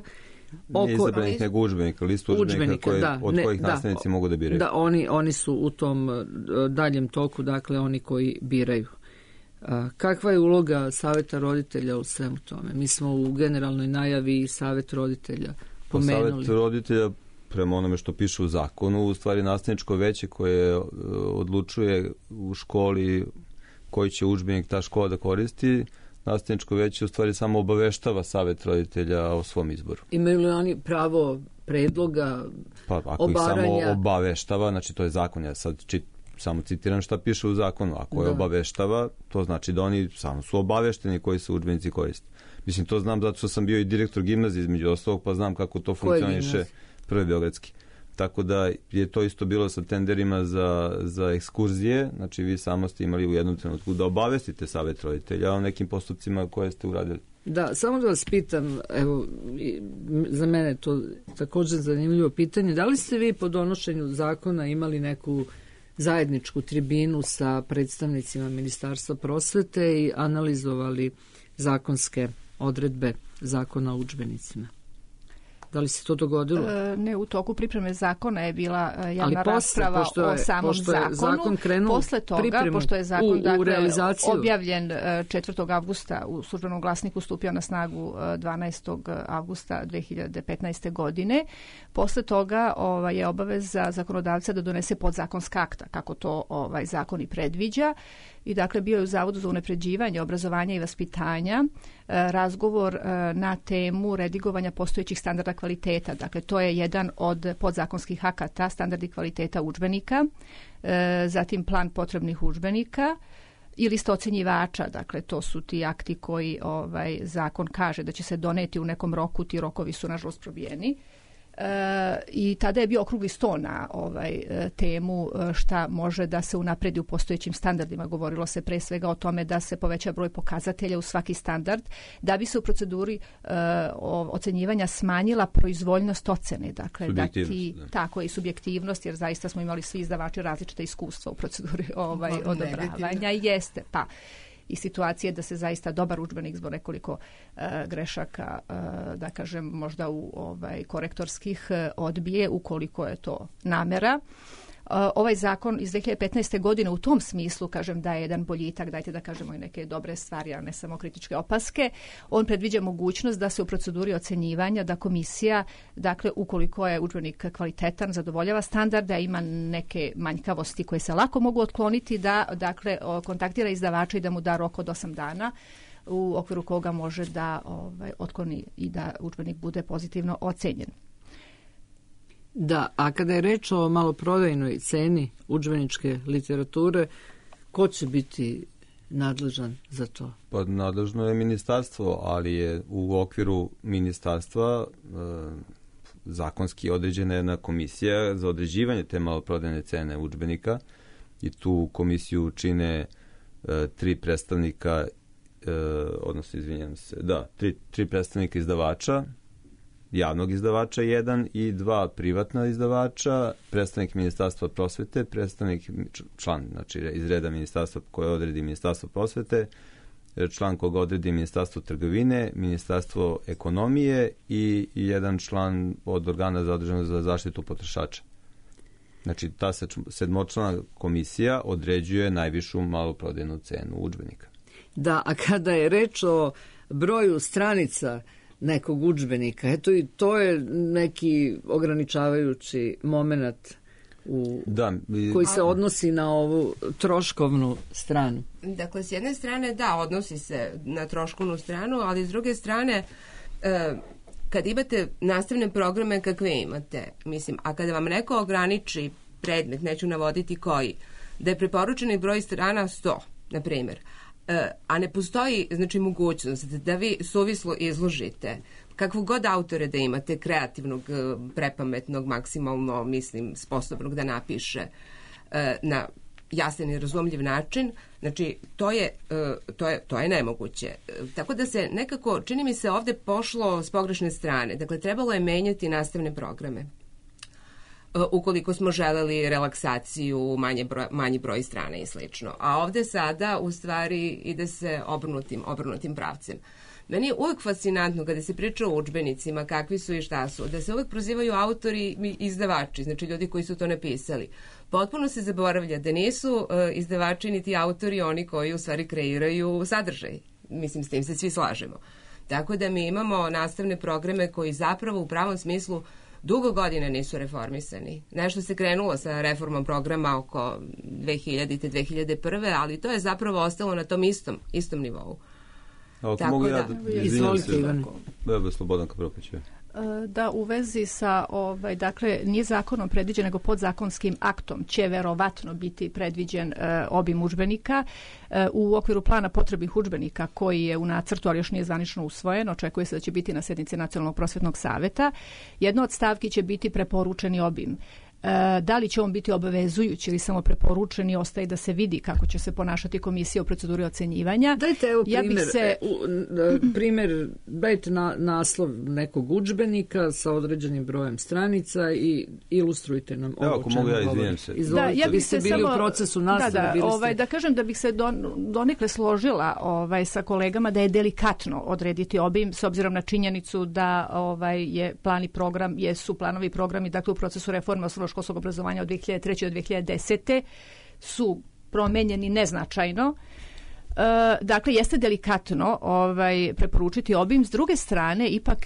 Ne izabranih nego udžbenika, listu udžbenika od kojih nastavnici mogu da biraju. Da, oni su u tom daljem toku, dakle oni koji biraju. Kakva je uloga saveta roditelja u svemu tome? Mi smo u generalnoj najavi Savet roditelja pomenuli. Savet roditelja, prema onome što piše u zakonu, u stvari nastavničko veće koje odlučuje u školi koji će udžbenik ta škola da koristi, nastavničko veće u stvari samo obaveštava savet roditelja o svom izboru. Imaju li oni pravo predloga, pa, ako obaranja? Ih samo obaveštava, znači to je zakon, ja sad samo citiram šta piše u zakonu. Ako je obaveštava, to znači da oni samo su obavešteni koji se udžbenici koriste. Mislim, to znam zato što sam bio i direktor gimnazije između ostalog, pa znam kako to funkcioniše. Prvi beogradski. Tako da je to isto bilo sa tenderima za ekskurzije, znači vi samo ste imali u jednom trenutku da obavestite savet roditelja o nekim postupcima koje ste uradili. Da, samo da vas pitam, evo, za mene to također zanimljivo pitanje, da li ste vi po donošenju zakona imali neku zajedničku tribinu sa predstavnicima Ministarstva prosvete i analizovali zakonske odredbe zakona o udžbenicima? Da li se to dogodilo? Ne, u toku pripreme zakona je bila javna rasprava o samom zakonu. Zakon krenuo posle toga, pošto je zakon objavljen 4. avgusta u službenom glasniku, stupio na snagu 12. avgusta 2015. godine. Posle toga je obaveza zakonodavca da donese podzakonska akta, kako to zakon i predviđa. I dakle bio je u Zavodu za unapređivanje obrazovanja i vaspitanja razgovor na temu redigovanja postojećih standarda kvaliteta. Dakle, to je jedan od podzakonskih akata, standardi kvaliteta udžbenika, zatim plan potrebnih udžbenika i lista ocenjivača. Dakle, to su ti akti koji zakon kaže da će se doneti u nekom roku, ti rokovi su nažalost probijeni. I tada je bio okrugli sto na temu šta može da se unapredi u postojećim standardima. Govorilo se pre svega o tome da se poveća broj pokazatelja u svaki standard, da bi se u proceduri ocenjivanja smanjila proizvoljnost ocene. Dakle, tako i subjektivnost, jer zaista smo imali svi izdavači različite iskustva u proceduri odobravanja. Jeste, pa i situacije da se zaista dobar udžbenik zbog nekoliko grešaka, da kažem, možda u korektorskih odbije ukoliko je to namera. Ovaj zakon iz 2015. godine u tom smislu, kažem, da je jedan boljitak, dajte da kažemo i neke dobre stvari, a ne samo kritičke opaske. On predviđa mogućnost da se u proceduri ocenjivanja, da komisija, dakle, ukoliko je udžbenik kvalitetan, zadovoljava standarda, ima neke manjkavosti koje se lako mogu otkloniti, da, dakle, kontaktira izdavača i da mu da rok od 8 dana u okviru koga može da otkloni i da udžbenik bude pozitivno ocenjen. Da, a kada je reč o maloprodajnoj ceni udžbeničke literature, ko će biti nadležan za to? Pa nadležno je ministarstvo, ali je u okviru ministarstva zakonski određena jedna komisija za određivanje te maloprodajne cene udžbenika i tu komisiju čine 3 predstavnika, odnosno, izvinjam se, tri predstavnika izdavača, javnog izdavača 1 i 2 privatna izdavača, predstavnik Ministarstva prosvete, predstavnik član, znači iz reda ministarstva koje odredi Ministarstvo prosvete, član koga odredi Ministarstvo trgovine, Ministarstvo ekonomije i jedan član od organa zaduženog za zaštitu potrošača. Znači, ta sedmočlana komisija određuje najvišu maloprodajnu cenu udžbenika. Da, a kada je reč o broju stranica nekog udžbenika, eto i to je neki ograničavajući moment koji se odnosi na ovu troškovnu stranu. Dakle, s jedne strane, da, odnosi se na troškovnu stranu, ali s druge strane, kad imate nastavne programe kakve imate, mislim, a kada vam neko ograniči predmet, neću navoditi koji, da je preporučeni broj strana 100, na primjer, a ne postoji, znači, mogućnost da vi suvislo izložite kakvog god autore da imate, kreativnog, prepametnog, maksimalno, mislim, sposobnog da napiše na jasan i razumljiv način, znači, to je nemoguće. Tako da se nekako, čini mi se, ovde pošlo s pogrešne strane. Dakle, trebalo je menjati nastavne programe. Ukoliko smo želeli relaksaciju, manji broj strana i slično. A ovde sada, u stvari, ide se obrnutim pravcem. Meni je uvek fascinantno kada se priča o udžbenicima, kakvi su i šta su, da se uvek prozivaju autori i izdavači, znači ljudi koji su to napisali. Potpuno se zaboravlja da nisu izdavači niti autori oni koji u stvari kreiraju sadržaj. Mislim, s tim se svi slažemo. Tako da mi imamo nastavne programe koji zapravo u pravom smislu dugo godina nisu reformisani. Nešto se krenulo sa reformom programa oko 2000. 2001. ali to je zapravo ostalo na tom istom nivou. Ako mogu ja da izvolite, Ivan. Slobodan Kapropić. Da, u vezi sa, dakle, nije zakonom predviđen, nego podzakonskim aktom će verovatno biti predviđen obim udžbenika. U okviru plana potrebnih udžbenika koji je u nacrtu, ali još nije zvanično usvojen, očekuje se da će biti na sednici Nacionalnog prosvetnog saveta. Jedna od stavki će biti preporučeni obim. Da li će on biti obavezujući ili samo preporučeni, ostaje da se vidi kako će se ponašati komisija u proceduri ocenjivanja. Dajte evo primjer, dajte naslov nekog udžbenika sa određenim brojem stranica i ilustrujte nam ovo. Ako mogu ja, izvijem se. Izvolite, vi ste bili u procesu nastave. Da kažem da bih se donekle složila sa kolegama da je delikatno odrediti obim s obzirom na činjenicu da je plan i program, jesu planovi i programi, dakle u procesu reforme osnovnoškolskog obrazovanja od 2003. do 2010. su promenjeni neznačajno. Dakle, jeste delikatno preporučiti obim. S druge strane, ipak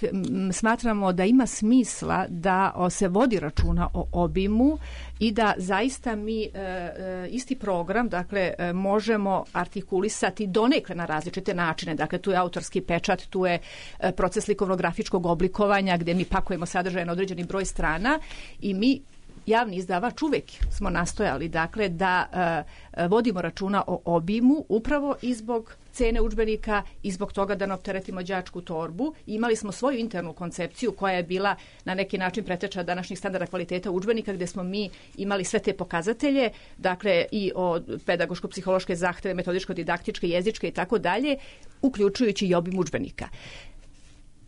smatramo da ima smisla da se vodi računa o obimu i da zaista mi isti program, dakle, možemo artikulisati donekle na različite načine. Dakle, tu je autorski pečat, tu je proces likovno-grafičkog oblikovanja gdje mi pakujemo sadržaj na određeni broj strana i mi javni izdavač uvek smo nastojali, dakle, da vodimo računa o obimu upravo i zbog cene udžbenika i zbog toga da ne opteretimo đačku torbu. Imali smo svoju internu koncepciju koja je bila na neki način preteča današnjih standarda kvaliteta udžbenika, gdje smo mi imali sve te pokazatelje, dakle i od pedagoško-psihološke zahteve, metodičko-didaktičke, jezičke i tako dalje, uključujući i obim udžbenika.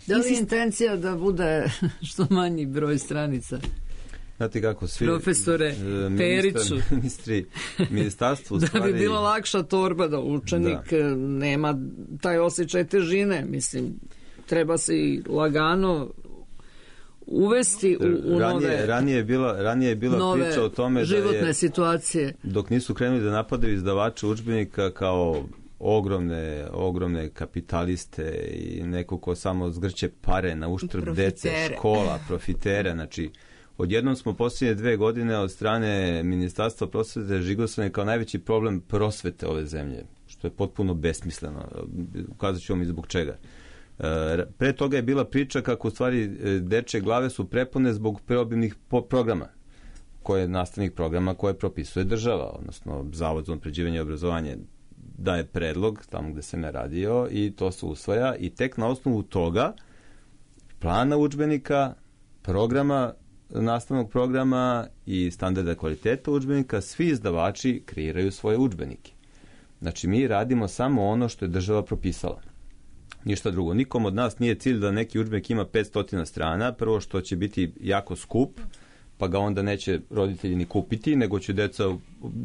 Da li je intencija da bude što manji broj stranica? Znate kako, svi profesore Periću, ministarstvo u da stvari... bi bila lakša torba da učenik nema taj osjećaj težine, mislim, treba se i lagano uvesti u nove ranije je bila priča o tome životne da je, situacije. Dok nisu krenuli da napadaju izdavače udžbenika kao ogromne kapitaliste i neko ko samo zgrće pare na uštrb dece, škola, profitere, znači odjednom smo posljednje 2 godine od strane Ministarstva prosvete žigosane kao najveći problem prosvete ove zemlje, što je potpuno besmisleno. Ukazat ću vam i zbog čega. Pre toga je bila priča kako u stvari dečje glave su prepune zbog preobimnih programa, nastavnih programa koje propisuje država, odnosno Zavod za unapređivanje obrazovanja daje predlog tamo gde se ne radio i to se usvaja i tek na osnovu toga plana udžbenika, programa, nastavnog programa i standarda kvaliteta udžbenika, svi izdavači kreiraju svoje udžbenike. Znači, mi radimo samo ono što je država propisala. Ništa drugo. Nikom od nas nije cilj da neki udžbenik ima 500 strana, prvo što će biti jako skup, pa ga onda neće roditelji ni kupiti, nego će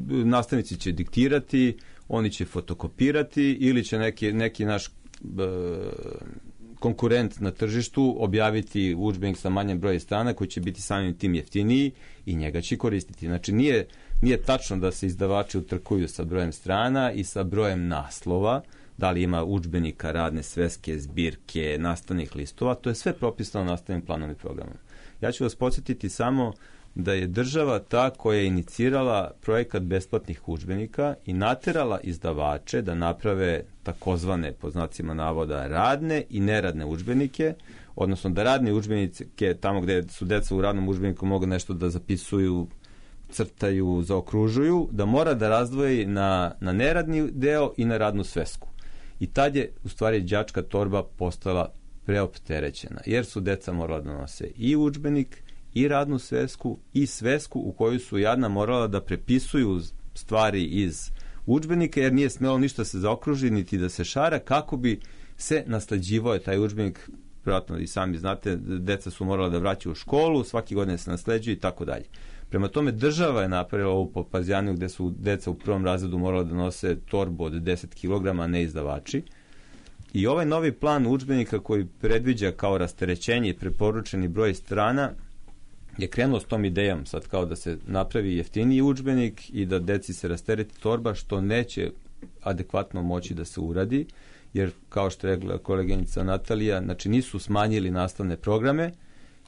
nastavnici će diktirati, oni će fotokopirati ili će neki naš konkurent na tržištu objaviti udžbenik sa manjem brojem strana koji će biti samim tim jeftiniji i njega će koristiti. Znači nije tačno da se izdavači utrkuju sa brojem strana i sa brojem naslova, da li ima udžbenika, radne sveske, zbirke, nastavnih listova, to je sve propisano nastavnim planom i programom. Ja ću vas podsjetiti samo da je država ta koja je inicirala projekat besplatnih udžbenika i naterala izdavače da naprave takozvane, po znacima navoda, radne i neradne udžbenike, odnosno da radne udžbenike, tamo gde su deca u radnom udžbeniku mogu nešto da zapisuju, crtaju, zaokružuju, da mora da razdvoji na neradni deo i na radnu svesku. I tad je, u stvari, đačka torba postala preopterećena, jer su deca morala da nose i udžbenik, i radnu svesku, i svesku u koju su jadna morala da prepisuju stvari iz udžbenika, jer nije smelo ništa se zaokruži, niti da se šara, kako bi se nasleđivao taj udžbenik. Vjerojatno i sami znate, deca su morala da vraćaju u školu, svaki godine se nasleđuju i tako dalje. Prema tome, država je napravila ovu Popazjaniju gde su deca u prvom razredu morala da nose torbu od 10 kg, a ne izdavači. I ovaj novi plan udžbenika koji predviđa kao rasterećenje i preporučeni broj strana je krenuo s tom idejom sad kao da se napravi jeftiniji udžbenik i da deci se rastereti torba, što neće adekvatno moći da se uradi, jer kao što je rekla koleginica Natalija, znači nisu smanjili nastavne programe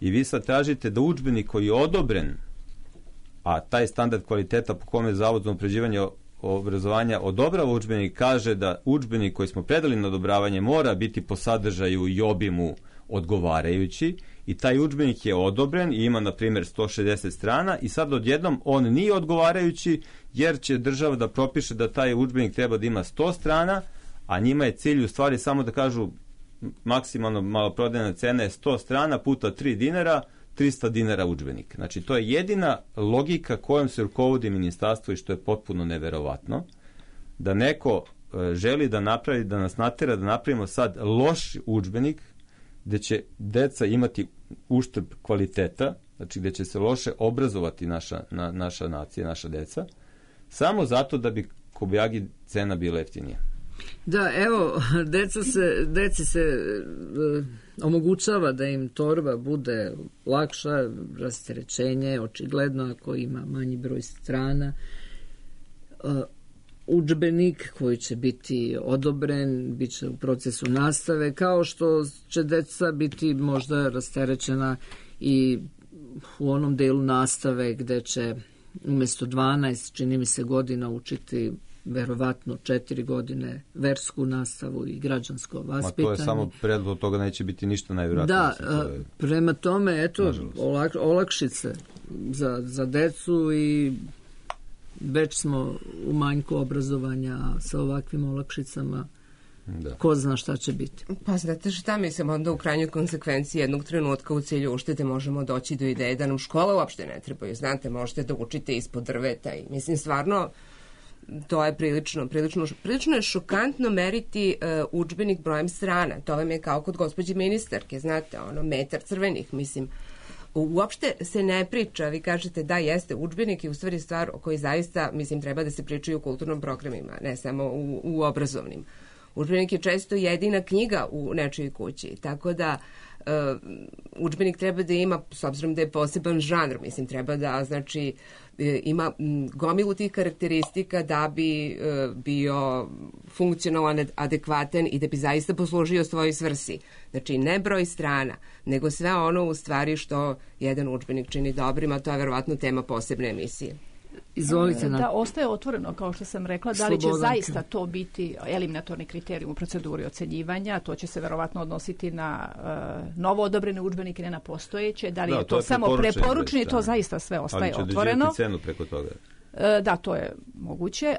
i vi sad tražite da udžbenik koji je odobren, a taj standard kvaliteta po kome Zavod za unapređivanje obrazovanja odobrava udžbenik, kaže da udžbenik koji smo predali na odobravanje mora biti po sadržaju i obimu odgovarajući, i taj udžbenik je odobren i ima, na primjer, 160 strana i sad odjednom on nije odgovarajući, jer će država da propiše da taj udžbenik treba da ima 100 strana, a njima je cilj u stvari samo da kažu maksimalno maloprodajna cena je 100 strana puta 3 dinara, 300 dinara udžbenik. Znači, to je jedina logika kojom se rukovodi ministarstvo i što je potpuno neverovatno, da neko želi da napravi, da nas natera da napravimo sad loš udžbenik gde će deca imati uštrb kvaliteta, znači gde će se loše obrazovati naša nacija, naša deca, samo zato da bi kobajagi cena bila jeftinija. Da, evo, deci se omogućava da im torba bude lakša, rasterećenje, očigledno ako ima manji broj strana, udžbenik koji će biti odobren, bit će u procesu nastave, kao što će deca biti možda rasterećena i u onom delu nastave gde će umjesto 12, čini mi se, godina učiti verovatno 4 godine versku nastavu i građansko vaspitanje. Ma to je samo predlog, od toga neće biti ništa najvjerojatnije. Da, prema tome, eto, olakšice za decu i već smo u manjku obrazovanja sa ovakvim olakšicama. Da. Ko zna šta će biti. Pa znate šta, mislim, onda u krajnjoj konsekvenciji jednog trenutka u cilju uštede možemo doći do ideje da nam škola uopšte ne trebaju. Znate, možete da učite ispod drveta i mislim, stvarno, to je prilično je šokantno meriti udžbenik brojem strana. To vam je kao kod gospođe ministarke, znate, metar crvenih, mislim. Uopšte se ne priča, vi kažete da jeste udžbenik i u stvari stvar o kojoj zaista, mislim, treba da se pričaju u kulturnom programima, ne samo u obrazovnim. Udžbenik je često jedina knjiga u nečijoj kući, tako da udžbenik treba da ima, s obzirom da je poseban žanr, mislim, treba da, znači, ima gomilu tih karakteristika da bi bio funkcionalan, adekvatan i da bi zaista poslužio svojoj svrsi. Znači, ne broj strana, nego sve ono u stvari što jedan udžbenik čini dobrim, a to je verovatno tema posebne emisije. Izvolite. Da, ostaje otvoreno, kao što sam rekla, da li će zaista to biti eliminatorni kriterijum u proceduri ocenjivanja, to će se verovatno odnositi na novo odobrene udžbenike, ne na postojeće, da li je to samo preporučeni, to zaista sve ostaje otvoreno. Ali će određivati cenu preko toga. Da, to je moguće.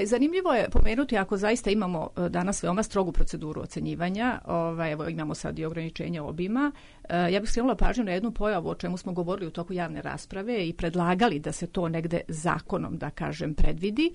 Zanimljivo je pomenuti, ako zaista imamo danas veoma strogu proceduru ocenjivanja, evo imamo sad i ograničenje obima, ja bih skrenula pažnju na jednu pojavu o čemu smo govorili u toku javne rasprave i predlagali da se to negde zakonom, da kažem, predvidi,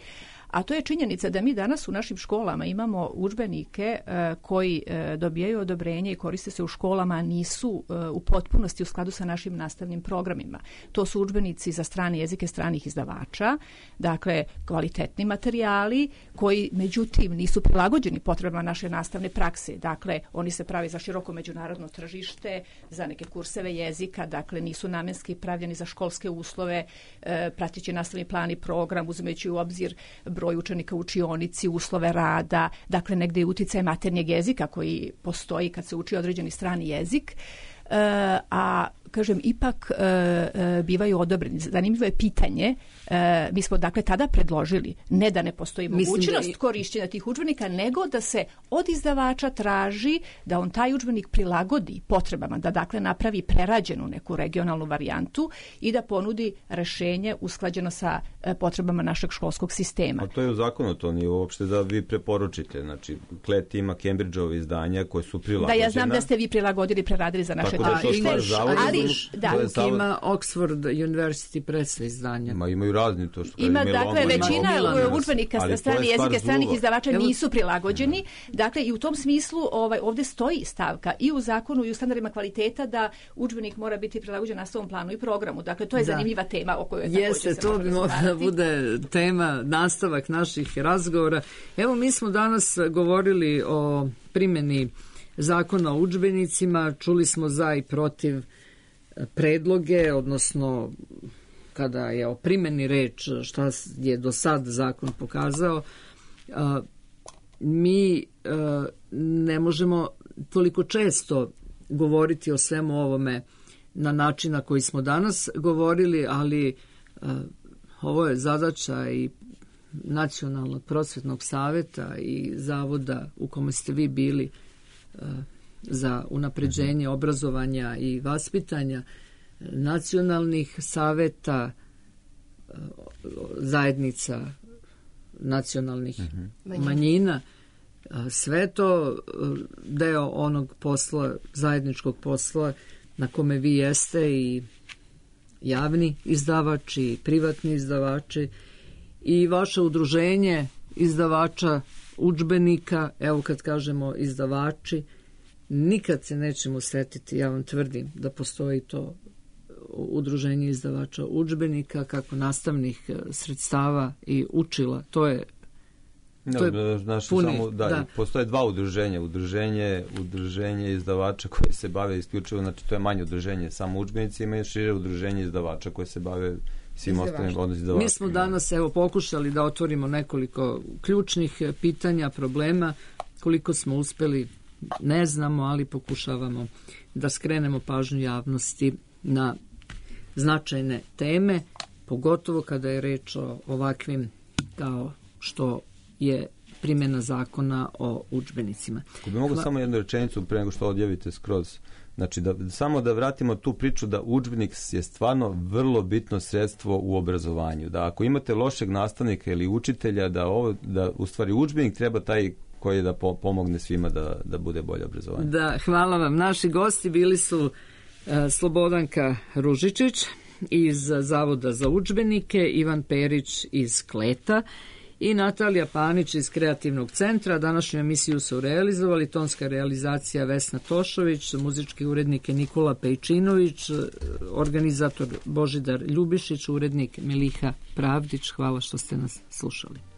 a to je činjenica da mi danas u našim školama imamo udžbenike koji dobijaju odobrenje i koriste se u školama, a nisu u potpunosti u skladu sa našim nastavnim programima. To su udžbenici za strane jezike stranih izdavača, dakle kvalitetni materijali koji međutim nisu prilagođeni potrebama naše nastavne prakse. Dakle, oni se pravi za široko međunarodno tržište, za neke kurseve jezika, dakle nisu namenski pravljeni za školske uslove, prateći nastavni plan i program, uzimajući u obzir broj učenika u učionici, uslove rada, dakle negdje je uticaj maternjeg jezika koji postoji kad se uči određeni strani jezik, a kažem, ipak bivaju odobreni. Zanimljivo je pitanje, mi smo dakle tada predložili ne da ne postoji mogućnost korišćenja tih udžbenika, nego da se od izdavača traži da on taj udžbenik prilagodi potrebama, da dakle napravi prerađenu neku regionalnu varijantu i da ponudi rešenje usklađeno sa potrebama našeg školskog sistema. A to je u zakonu, to nije uopšte da vi preporučite. Znači, Klet ima Cambridgeove izdanja koje su prilagođena. Da, ja znam da ste vi prilagodili, preradili za naše tržište, ali ima Oxford University Press izdanja. Imaju razni to što ima, dakle, većina udžbenika sa strane jezike stranih izdavača nisu prilagođeni. Dakle, i u tom smislu ovdje stoji stavka i u zakonu i u standardima kvaliteta da udžbenik mora biti prilagođen nastavnom planu i programu. Dakle, to je zanimljiva tema o kojoj je također se to bi mogla da bude tema, nastavak naših razgovora. Evo, mi smo danas govorili o primjeni zakona o udžbenicima, čuli smo za i protiv predloge, odnosno kada je o primjeni reč šta je do sad zakon pokazao, mi ne možemo toliko često govoriti o svemu ovome na način na koji smo danas govorili, ali ovo je zadaća i Nacionalnog prosvetnog saveta i zavoda u kome ste vi bili za unapređenje obrazovanja i vaspitanja, nacionalnih saveta, zajednica nacionalnih manjina. Sve to deo onog posla, zajedničkog posla na kome vi jeste i javni izdavači i privatni izdavači i vaše udruženje izdavača udžbenika. Evo, kad kažemo izdavači, nikad se nećemo setiti, ja vam tvrdim, da postoji to udruženje izdavača udžbenika kako nastavnih sredstava i učila. To je postoje dva udruženja. Udruženje izdavača koje se bave isključivo, znači to je manje udruženje samo udžbenicima i šire udruženje izdavača koje se bave svim ostalim izdavačima. Mi smo danas pokušali da otvorimo nekoliko ključnih pitanja, problema. Koliko smo uspeli ne znamo, ali pokušavamo da skrenemo pažnju javnosti na značajne teme, pogotovo kada je reč o ovakvim kao što je primjena zakona o udžbenicima. Ako bi mogao samo jednu rečenicu pre nego što odjavite skroz. Znači, samo da vratimo tu priču da udžbenik je stvarno vrlo bitno sredstvo u obrazovanju. Da ako imate lošeg nastavnika ili učitelja, da u stvari udžbenik treba taj koji da pomogne svima da bude bolje obrazovanje. Da, hvala vam. Naši gosti bili su Slobodanka Ružičić iz Zavoda za udžbenike, Ivan Perić iz Kleta i Natalija Panić iz Kreativnog centra. Današnju emisiju su realizovali tonska realizacija Vesna Tošović, muzički urednik je Nikola Pejčinović, organizator Božidar Ljubišić, urednik Meliha Pravdić. Hvala što ste nas slušali.